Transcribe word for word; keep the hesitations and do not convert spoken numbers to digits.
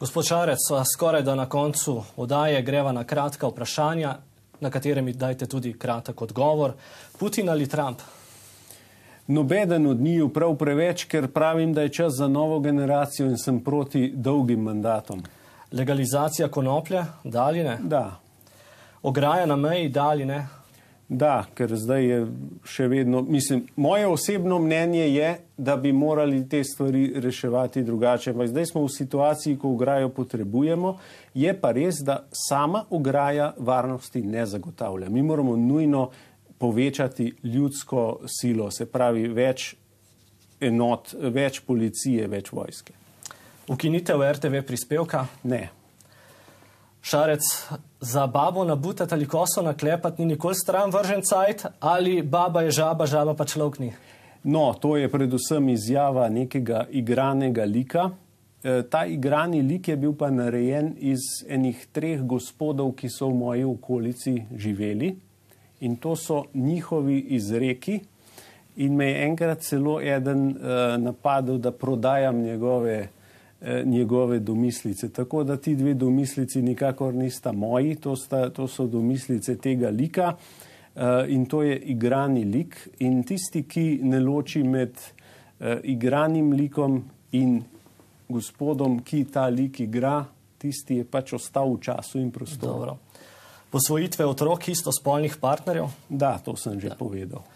Gospod Šarec, skoraj da na koncu oddaje greva na kratka vprašanja, na katere mi dajte tudi kratek odgovor. Putin ali Trump? Nobeden od njiju prav preveč, ker pravim, da je čas za novo generacijo in sem proti dolgim mandatom. Legalizacija konoplje, da ali ne? Da. Ograja na meji, da ali ne? Da, ker zdaj je še vedno, mislim, moje osebno mnenje je, da bi morali te stvari reševati drugače. Ampak zdaj smo v situaciji, ko ograjo potrebujemo, je pa res, da sama ograja varnosti ne zagotavlja. Mi moramo nujno povečati ljudsko silo, se pravi več enot, več policije, več vojske. Ukinitev er te ve prispevka? Ne. Šarec, za babo nabutati ali koso naklepati ni nikoli stran vržen cajt, ali baba je žaba, žaba pa človek ni? No, to je predvsem izjava nekega igranega lika. E, ta igrani lik je bil pa narejen iz enih treh gospodov, ki so v moji okolici živeli. In to so njihovi izreki. In me je enkrat celo eden e, napadel, da prodajam njegove njegove domislice. Tako da ti dve domislici nikakor nista moji, to, sta, to so domislice tega lika uh, in to je igrani lik. In tisti, ki ne loči med uh, igranim likom in gospodom, ki ta lik igra, tisti je pač ostal v času in prostoru. Dobro. Posvojitve otrok istospolnih partnerjev? Da, to sem že da. povedal.